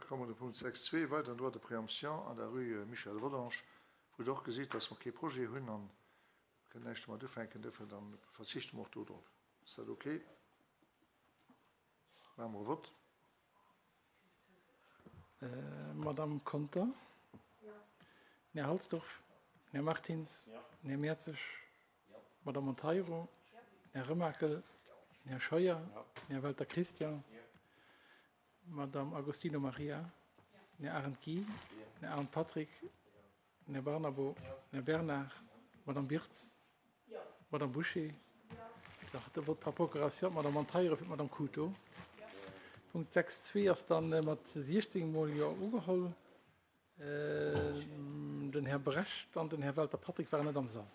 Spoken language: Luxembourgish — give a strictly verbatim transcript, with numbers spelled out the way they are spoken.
Komme mer de Punkt sechs zwee, weideren Droit de préemption an der rue Michel Rodange, wou Der och gesitt, dass mer kee Projet hunn an kënnen näischt domat ufänken. Duerfir dann verzichte mer och do drop. Ass dat okay? Maache mer e Vott. Madamm Conter? Den Här Halsdorf? Den Här Martins? Den Här Mertzig? Madamm Monteiro? Den Här Remakel? Den Här Scheuer? Den Här Welter Christian? Madamm Agostino Maria? Den Här Arendt Guy? Den Här Arendt Patrick? Den Här Barnabo? Den Här Bernard? Madamm Birtz? Madamm Bouché? Dach, de Vote par procuration, d'Madamm Monteiro fir d'Madamm Couto. Punkt sechs zwee ass dann mat siechzéng mol Jo ugeholl. Den Här Brecht an den Här Welter Patrick waren net am Sall.